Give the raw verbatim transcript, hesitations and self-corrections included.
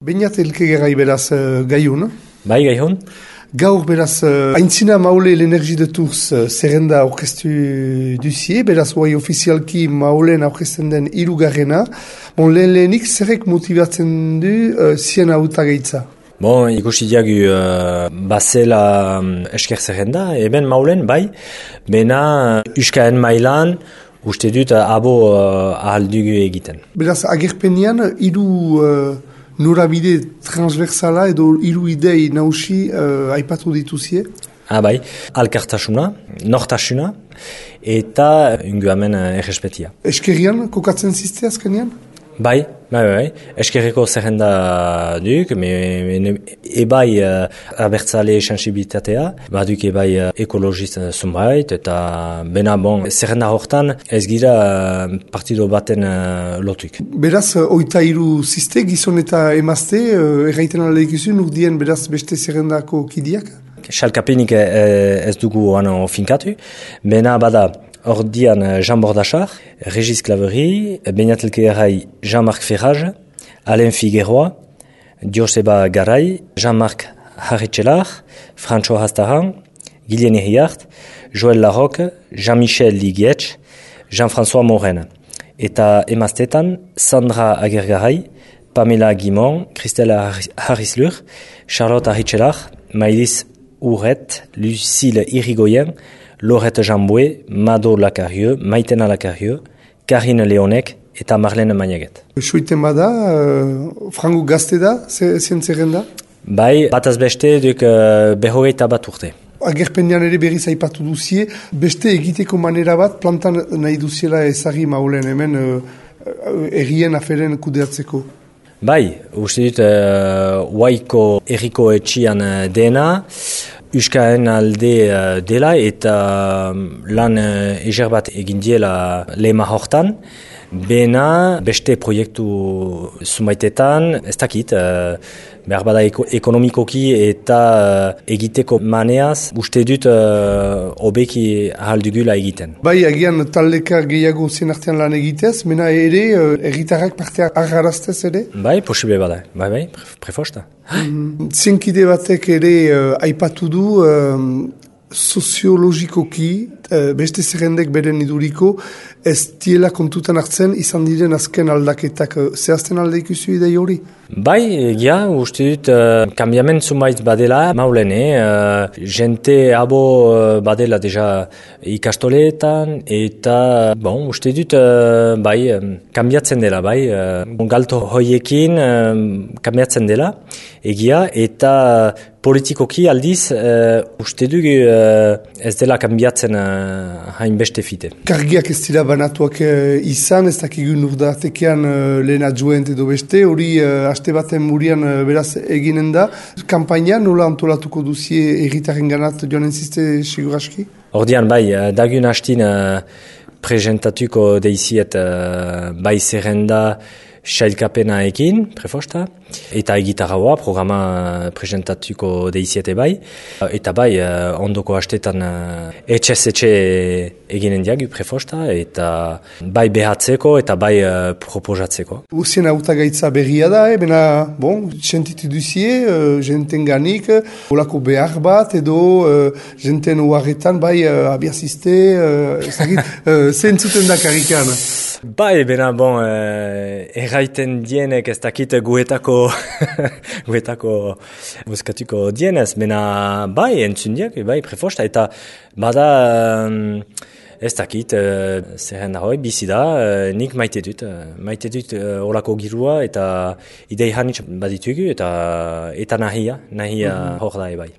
Beñat elkegerai beraz uh, gaiun. Bai, gaiun. Gaur beraz, uh, aintzina maule l'energie de Tours uh, zerrenda aurkeztu duzie, beraz guai ofizialki maulen aurkezten den hirugarrena. Bon, lehen lehenik zerrek motibatzen du uh, zien hautagaitza? Bon, ikusi diagu uh, bazela um, esker zerrenda, eben maulen, bai, bena uh, uskaen mailan, uste dut uh, abo uh, ahaldugu egiten. Beraz, agerpenian, hiru uh, norabide transversala edo hiru idei nausi uh, aipatu dituzie? Ah, bai, alkartasuna, nortasuna, eta unguamen uh, errespetia. Eskerian, kokatzen ziste azkenean? Bai, bai, bai, eskerreko zerrenda duk, me, me, ebai uh, abertzale sensibilitatea, baduk ebai uh, ekologist zunbait, eta bena bon, zerrenda hortan ez gira uh, partido baten uh, lotuk. Beraz, uh, oita hiru ziste, gizon eta emazte, uh, erraiten aldeik izun, urdien beraz beste zerrendako kidiak? Xalkapenik eh, ez dugu ano finkatu, bena bada ordian Jean Bordachar, Régis Claverie, Beñat elkegerai Jean-Marc Ferrage, Alain Figueroa, Joseba Garay, Jean-Marc Haritxelar, Francho Hastaran, Guylienne Iriart, Joël Larocque, Jean-Michel Ligietx, Jean-François Moren. Eta emaztetan Sandra Agergaray, Pamela Guimon, Christelle Harrislur, Charlotte Haritxelar, Maïlis Ouret, Lucille Irigoyen, Laurette Jamboué, Mado Lacarieux, Maitena Lacarieux, Karine Leonek eta Marlene Magnaget. Soiten bada, uh, frango gazte da, zien zerrenda? Bai, bataz beste duk uh, behogeita bat urte. Agerpenean ere berriz aipatu duzie, beste egiteko manera bat plantan nahi duziela ezagri maulen hemen uh, errien aferen kudeatzeko. Bai, uste dut uh, Waiko erriko etxian uh, dena, Euskaen alde uh, dela eta um, lan uh, eger bat egin diela lehema hortan, bena beste proiektu zumaitetan, ez dakit, uh, behar bada eko, ekonomikoki eta uh, egiteko maneaz, uste dut uh, obeki ahaldugula egiten. Bai, agian taldeka gehiago zen artean lan egitez, mena ere, uh, erritarrak parte agarraztez ere? Bai, posible bada, bai, bai, prefosta. Mm, Zenkide batek ere uh, aipatu du, um, soziologikoki, uh, beste zerrendek beren iduriko, ez diela kontutan hartzen izan diren azken aldaketak. Uh, zehazten alde ikusi idei hori? Bai, egia, uste dut, uh, kambiamen zumait badela, maulen, eh? Uh, jente abo uh, badela deja ikastoleetan, eta, bon, uste dut, uh, bai, um, kambiatzen dela, bai, uh, galto hoiekin um, kambiatzen dela, egia, eta politikoki aldiz, uh, uste dugu uh, ez dela kambiatzen uh, hainbeste fite. Kargiak ez dira banatuak uh, izan, ez dakigun urdatekean uh, lehen adjuent edo beste, hori uh, aste baten murian uh, beraz eginen da. Kampaina nola antolatuko duzie erritaren ganat joan enziste siguraski? Ordian, bai, uh, dagun hastin uh, presentatuko deiziet uh, bai zerrenda sailkapena ekin, prefosta, eta egitarraua programa presentatuko deiziete bai, eta bai ondoko hastetan etxez etxe eginen diagu prefosta, eta bai behatzeko eta bai proposatzeko. Uzien hautagaitza berria da, eh? Bena, bon, sentitu duzie, uh, jenten ganik, olako behar bat, edo uh, jenten uarretan, bai uh, abiaziste, uh, uh, zentzuten da karikan. Bai, bena, bon, eh, erraiten dienek ez dakit guetako, guetako muskatuko dienez, bena, bai, entzun diak, bai, prefosta, eta bada, um, ez dakit, uh, zerren hoi, bizi da, uh, nik maite dut, uh, maite dut uh, olako girua, eta idei hanitz baditugu, eta, eta nahia, nahia mm-hmm. hor da, bai.